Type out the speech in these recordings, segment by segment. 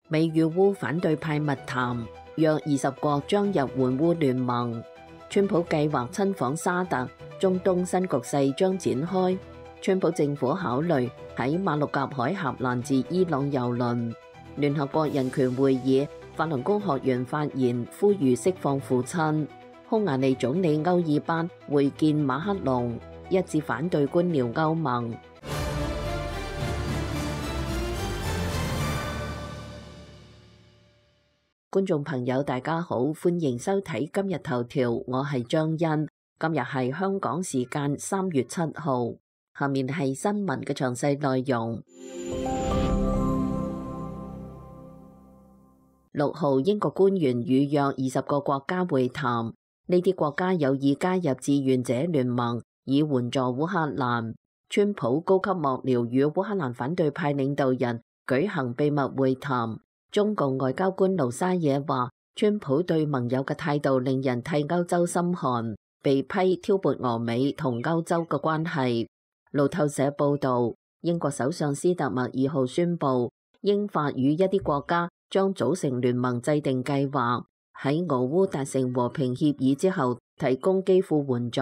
美與烏反對派密談，約20國將入援烏聯盟。川普計劃親訪沙特，中東新局勢將展開。川普政府考慮喺馬六甲海峽攔截伊朗郵輪。聯合國人權會議法輪功學員發言，呼籲釋放父親。匈牙利總理歐爾班會見馬克龍，一致反對官僚歐盟。觀眾朋友大家好，歡迎收睇今日頭條，我係張欣。今日係香港時間3月7號，下面係新聞嘅詳細內容。6號，英國官員與約20個國家會談，呢啲國家有意加入志願者聯盟，以援助烏克蘭。川普高級幕僚與烏克蘭反對派領導人舉行秘密會談。中共外交官盧沙野話，川普對盟友嘅態度令人替歐洲心寒，被批挑撥俄美同歐洲嘅關係。路透社報道，英國首相斯特默2號宣布，英法與一啲國家將組成聯盟，制定計劃，喺俄烏達成和平協議之後提供基輔援助。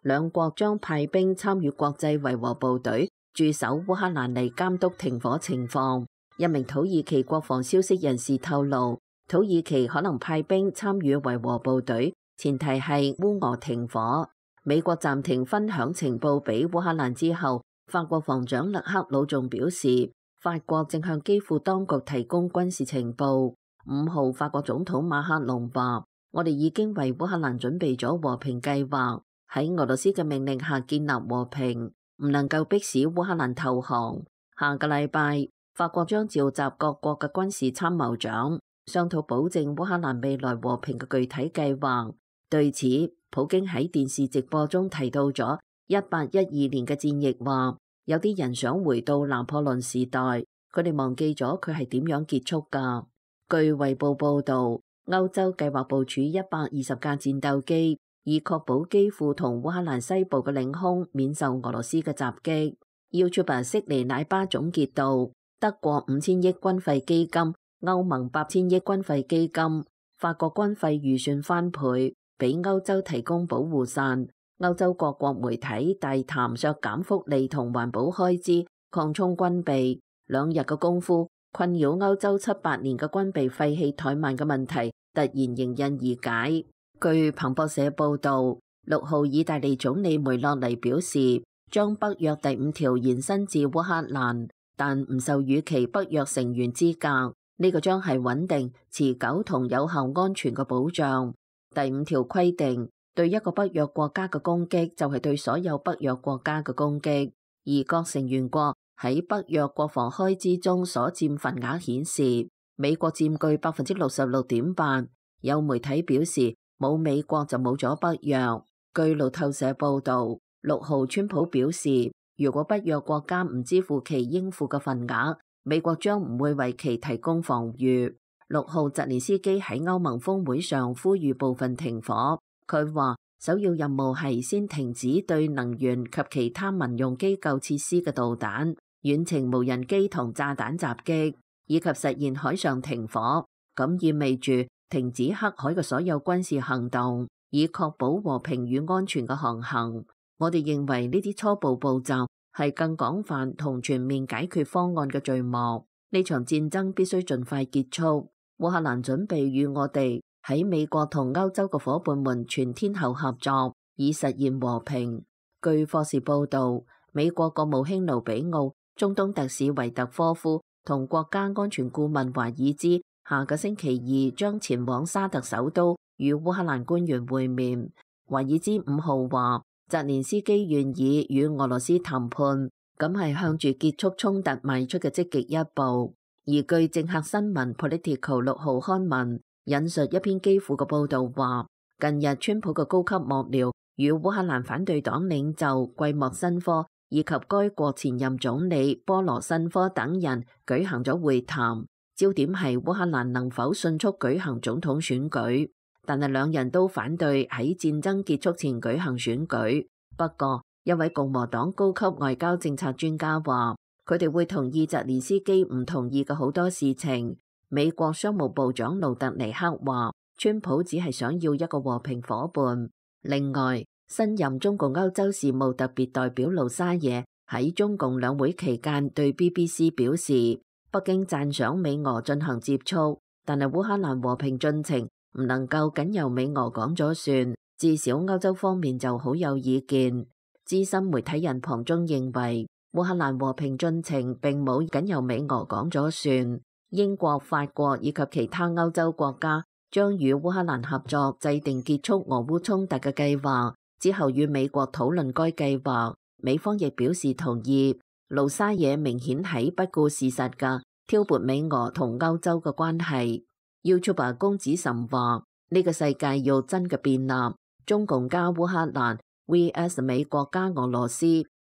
兩國將派兵參與國際維和部隊駐守烏克蘭嚟監督停火情況。一名土耳其國防消息人士透露，土耳其可能派兵參與維和部隊，前提係烏俄停火。美國暫停分享情報俾烏克蘭之後，法國防長勒克魯仲表示，法國正向基輔當局提供軍事情報。5號，法國總統馬克龍話，我哋已經為烏克蘭準備咗和平計劃，喺俄羅斯嘅命令下建立和平，唔能夠迫使烏克蘭投降。下個禮拜，法國將召集各國嘅軍事參謀長，商討保證烏克蘭未來和平嘅具體計劃。對此，普京喺電視直播中提到咗1812年嘅戰役，話有啲人想回到拿破崙時代，佢哋忘記咗佢係點樣結束㗎。據衛報報導，歐洲計劃部署120架戰鬥機，以確保基輔同烏克蘭西部嘅領空免受俄羅斯嘅襲擊。YouTuber 悉尼奶爸總結道，德國5000億軍費基金，歐盟8000億軍費基金，法國軍費預算翻倍，俾歐洲提供保護傘。歐洲各國媒體大談削減福利同環保開支，擴充軍備。2日嘅功夫，困擾歐洲7-8年嘅軍備廢棄怠慢嘅問題突然迎刃而解。據彭博社報道，6號，意大利總理梅洛尼表示，將北約第5條延伸至烏克蘭，但唔受預期北約成員資格。呢個將係穩定、持久同有效安全嘅保障。第5條規定，對一個北約國家嘅攻擊就係對所有北約國家嘅攻擊，而各成員國喺北約國防開支中所佔份額顯示，美國佔據66.8%。有媒體表示，冇美國就冇咗北約。據路透社報道，6號，川普表示，如果北約國家唔支付其應付嘅份額，美國將唔會為其提供防禦。6號，澤連斯基喺歐盟峰會上呼籲部分停火。佢話首要任務係先停止對能源及其他民用機構設施嘅導彈、遠程無人機同炸彈襲擊，以及實現海上停火。咁意味住停止黑海嘅所有軍事行動，以確保和平與安全嘅航行。我哋認為呢啲初步步驟係更廣泛同全面解決方案嘅序幕。呢場戰爭必須盡快結束。烏克蘭準備與我哋喺美國同歐洲嘅伙伴們全天候合作，以實現和平。據霍士報道，美國國務卿盧比奧、中東特使維特科夫同國家安全顧問華爾茲下個星期2將前往沙特首都與烏克蘭官員會面。華爾茲5號話，澤連斯基願意與俄羅斯談判，咁係向住結束衝突邁出嘅積極一步。而據政客新聞 Political 6號刊文引述一篇基輔嘅報道話，近日川普嘅高級幕僚與烏克蘭反對黨領袖季莫申科以及該國前任總理波羅申科等人舉行咗會談，焦點係烏克蘭能否迅速舉行總統選舉，但係兩人都反對喺戰爭結束前舉行選舉。不過，一位共和黨高級外交政策專家話，佢哋會同意澤連斯基唔同意嘅好多事情，美國商務部長盧特尼克話，川普只係想要一個和平夥伴。另外，新任中共歐洲事務特別代表盧沙野喺中共兩會期間對 BBC 表示，北京讚賞美俄進行接觸，但係烏克蘭和平進程唔能夠僅由美俄講咗算，至少歐洲方面就好有意見。資深媒體人龐中認為，烏克蘭和平進程並冇僅由美俄講咗算，英國、法國以及其他歐洲國家將與烏克蘭合作制定結束俄烏衝突嘅計劃，之後與美國討論該計劃。美方亦表示同意。盧沙野明顯喺不顧事實嘅挑撥美俄同歐洲嘅關係。YouTuber 公子岑話：呢個世界要真嘅變立，中共加烏克蘭 vs 美國加俄羅斯，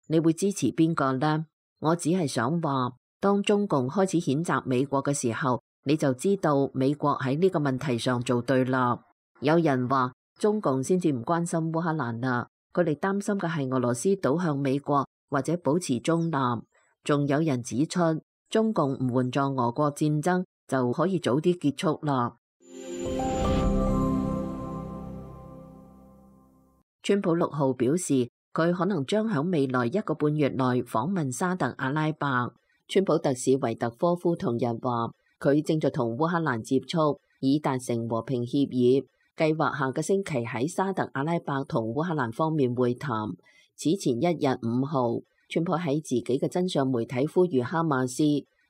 你會支持邊個呢？我只係想話，當中共開始譴責美國嘅時候，你就知道美國喺呢個問題上做對啦。有人話中共先至唔關心烏克蘭啦，佢哋擔心嘅係俄羅斯倒向美國或者保持中立。仲有人指出，中共唔援助俄國戰爭就可以早啲結束啦。川普6號表示，佢可能將喺未來1個半月內訪問沙特阿拉伯。川普特使維特科夫同日話，佢正在同烏克蘭接觸，以達成和平協議，計劃下個星期喺沙特阿拉伯同烏克蘭方面會談。此前1日5號，川普喺自己嘅真相媒體呼籲哈馬斯，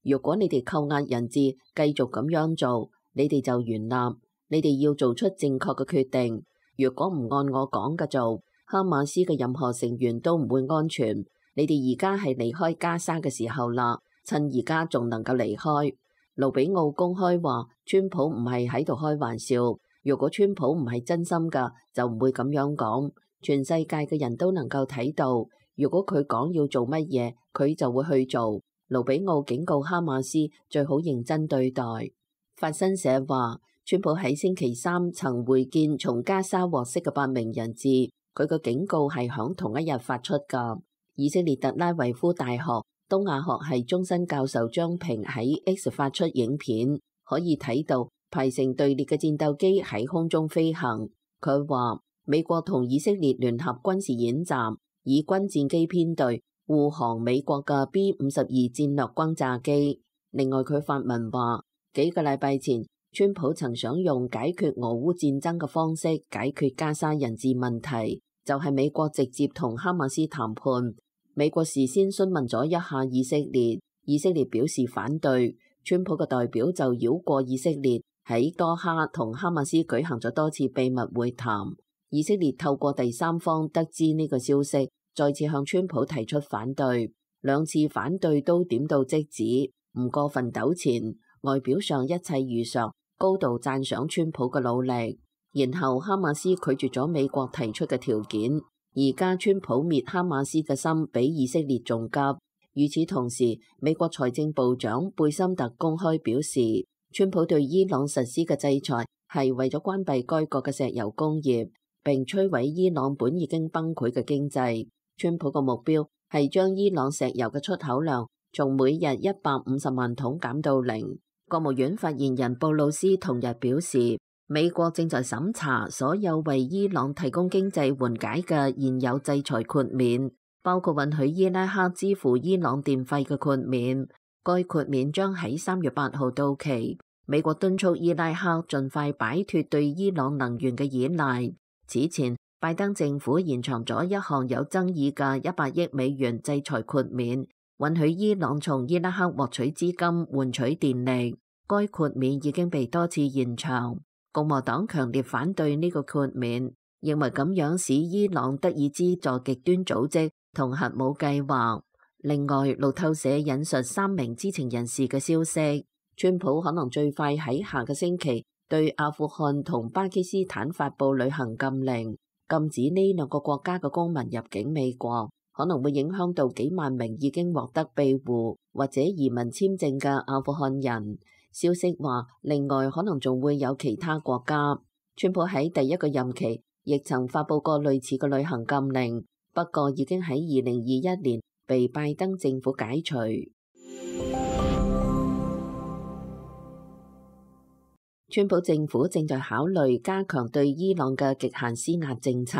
如果你哋扣押人質繼續咁樣做，你哋就完立，你哋要做出正確嘅決定。如果唔按我講嘅做，哈馬斯嘅任何成員都唔會安全。你哋而家係離開加沙嘅時候啦，趁而家仲能夠離開。盧比奧公開話，川普唔係喺度開玩笑。如果川普唔係真心㗎，就唔會咁樣講。全世界嘅人都能夠睇到，如果佢講要做乜嘢，佢就會去做。盧比奧警告哈馬斯最好認真對待。法新社話，川普喺星期三曾會見從加沙獲釋嘅8名人質，佢嘅警告係響同一日發出㗎。以色列特拉維夫大學東亞學系終身教授張平喺 X 發出影片，可以睇到排成隊列嘅戰鬥機喺空中飛行。佢話美國同以色列聯合軍事演習，以軍戰機編隊護航美國嘅 B-52戰略轟炸機。另外佢發文話，幾個禮拜前川普曾想用解決俄烏戰爭嘅方式解決加沙人質問題，就係美國直接同哈馬斯談判。美國事先詢問咗一下以色列，以色列表示反對。川普嘅代表就繞過以色列，喺多哈同哈馬斯舉行咗多次秘密會談。以色列透過第三方得知呢個消息，再次向川普提出反對。2次反對都點到即止，唔過分糾纏，外表上一切如常，高度讚賞川普嘅努力。然後哈馬斯拒絕咗美國提出嘅條件。而家川普滅哈馬斯嘅心比以色列仲急。與此同時，美國財政部長貝森特公開表示，川普對伊朗實施嘅制裁係為咗關閉該國嘅石油工業，並摧毀伊朗本已經崩潰嘅經濟。川普嘅目標係將伊朗石油嘅出口量從每日150萬桶減到0。國務院發言人布魯斯同日表示，美國正在審查所有為伊朗提供經濟緩解嘅現有制裁豁免，包括允許伊拉克支付伊朗電費嘅豁免。該豁免將喺3月8號到期。美國敦促伊拉克盡快擺脫對伊朗能源嘅依賴。此前，拜登政府延長咗一項有爭議嘅100億美元制裁豁免，允許伊朗從伊拉克獲取資金換取電力。該豁免已經被多次延長。共和黨強烈反對呢個豁免，認為咁樣使伊朗得以資助極端組織同核武計劃。另外，路透社引述3名知情人士嘅消息，川普可能最快喺下個星期對阿富汗同巴基斯坦發布旅行禁令，禁止呢2個國家嘅公民入境美國，可能會影響到幾萬名已經獲得庇護或者移民簽證嘅阿富汗人。消息話，另外可能仲會有其他國家。川普喺第1個任期亦曾發布過類似嘅旅行禁令，不過已經喺2021年被拜登政府解除。川普政府正在考慮加強對伊朗嘅極限施壓政策，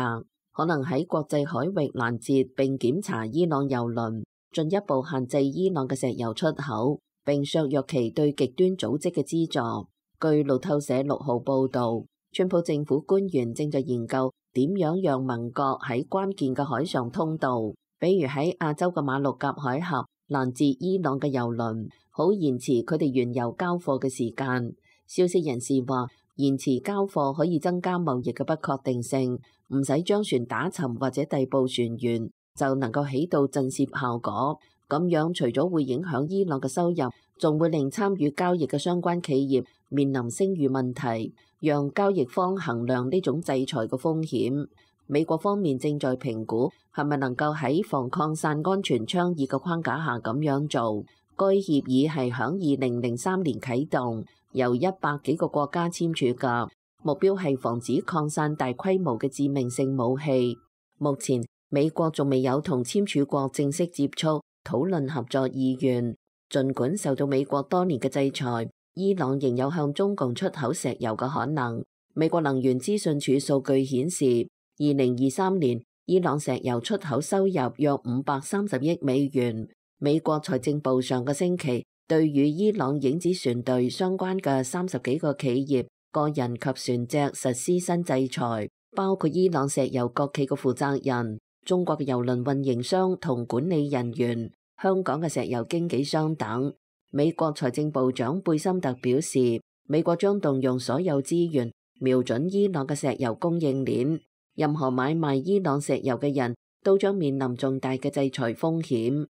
可能喺國際海域攔截並檢查伊朗油輪，進一步限制伊朗嘅石油出口，並削弱其對極端組織嘅資助。據路透社6號報導，川普政府官員正在研究點樣讓盟國喺關鍵嘅海上通道，比如喺亞洲嘅馬六甲海峽攔截伊朗嘅油輪，好延遲佢哋原油交貨嘅時間。消息人士話，延遲交貨可以增加貿易嘅不確定性，唔使將船打沉或者逮捕船員，就能夠起到震懾效果。咁樣除咗會影響伊朗嘅收入，仲會令參與交易嘅相關企業面臨聲譽問題，讓交易方衡量呢種制裁嘅風險。美國方面正在評估係咪能夠喺防擴散安全倡議嘅框架下咁樣做。該協議係響2003年啟動，由100幾個國家簽署嘅，目標係防止擴散大規模嘅致命性武器。目前美國仲未有同簽署國正式接觸討論合作意願。儘管受到美國多年嘅制裁，伊朗仍有向中共出口石油嘅可能。美國能源資訊署數據顯示，2023年伊朗石油出口收入約530億美元。美國財政部上個星期對與伊朗影子船隊相關嘅30幾個企業、個人及船隻實施新制裁，包括伊朗石油國企嘅負責人、中國嘅油輪運營商同管理人員、香港嘅石油經紀商等。美國財政部長貝森特表示，美國將動用所有資源瞄準伊朗嘅石油供應鏈，任何買賣伊朗石油嘅人都將面臨重大嘅制裁風險。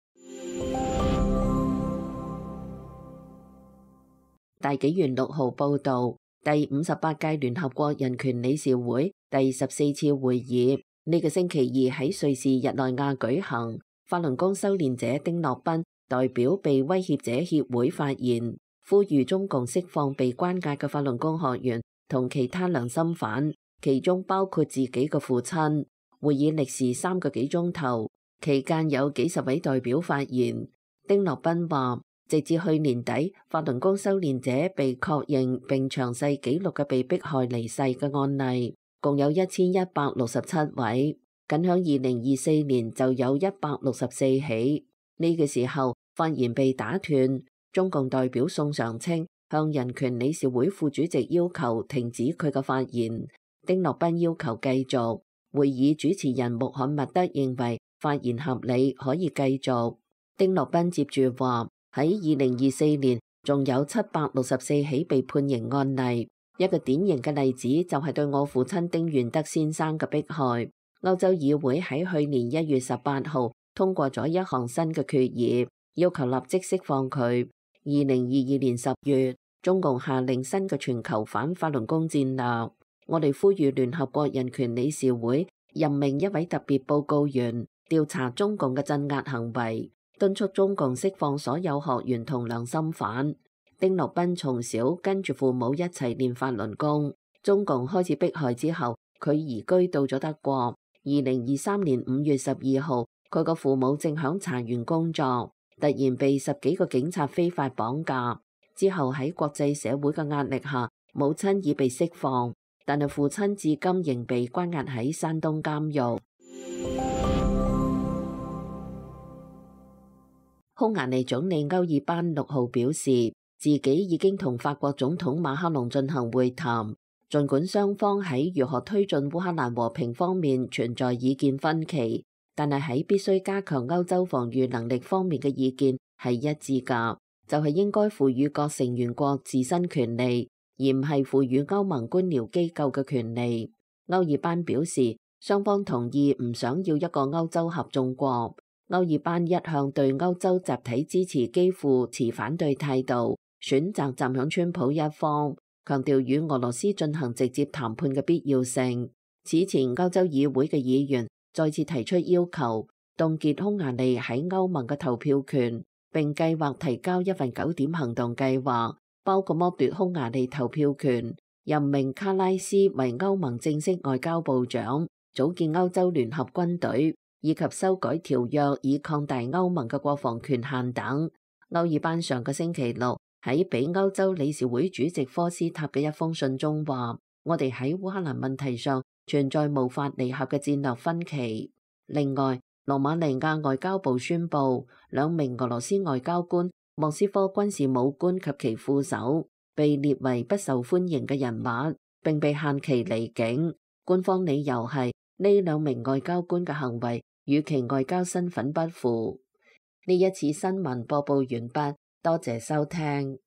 大紀元6號報導，第58屆聯合國人權理事會第14次會議呢個星期二喺瑞士日內瓦舉行。法輪功修煉者丁諾賓代表被威脅者協會發言，呼籲中共釋放被關押嘅法輪功學員同其他良心犯，其中包括自己嘅父親。會議歷時3個幾鐘頭，期間有幾十位代表發言。丁諾賓話，直至去年底，法輪功修煉者被確認並詳細記錄嘅被迫害離世嘅案例，共有1167位。僅響2024年就有164起。呢個時候發言被打斷，中共代表宋常青向人權理事會副主席要求停止佢嘅發言。丁諾賓要求繼續。會議主持人穆罕默德認為發言合理，可以繼續。丁諾賓接住話，喺2024年仲有764起被判刑案例。一個典型嘅例子就係對我父親丁元德先生嘅迫害。歐洲議會喺去年1月18號通過咗一項新嘅決議，要求立即釋放佢。2022年10月，中共下令新嘅全球反法輪功戰略。我哋呼籲聯合國人權理事會任命一位特別報告員調查中共嘅鎮壓行為，敦促中共釋放所有學員同良心犯。丁諾賓從小跟住父母一齊練法輪功，中共開始迫害之後，佢移居到咗德國。2023年5月12號，佢個父母正響茶園工作，突然被10幾個警察非法綁架。之後喺國際社會嘅壓力下，母親已被釋放，但係父親至今仍被關押喺山東監獄。匈牙利總理歐爾班6號表示，自己已經同法國總統馬克龍進行會談。儘管雙方喺如何推進烏克蘭和平方面存在意見分歧，但係喺必須加強歐洲防禦能力方面嘅意見係一致㗎，就係應該賦予各成員國自身權利，而唔係賦予歐盟官僚機構嘅權利。歐爾班表示，雙方同意唔想要一個歐洲合眾國。歐爾班一向對歐洲集體支持幾乎持反對態度，選擇站響川普一方，強調與俄羅斯進行直接談判嘅必要性。此前，歐洲議會嘅議員再次提出要求，凍結匈牙利喺歐盟嘅投票權，並計劃提交一份9點行動計劃，包括剝奪匈牙利投票權、任命卡拉斯為歐盟正式外交部長、組建歐洲聯合軍隊，以及修改條約以擴大歐盟嘅國防權限等。歐爾班上個星期六喺俾歐洲理事會主席科斯塔嘅一封信中話：我哋喺烏克蘭問題上存在無法彌合嘅戰略分歧。另外，羅馬尼亞外交部宣布，2名俄羅斯外交官、莫斯科軍事武官及其副手被列為不受歡迎嘅人物，並被限期離境。官方理由係呢2名外交官嘅行為與其外交身份不符。呢一次新聞播報完畢，多謝收聽。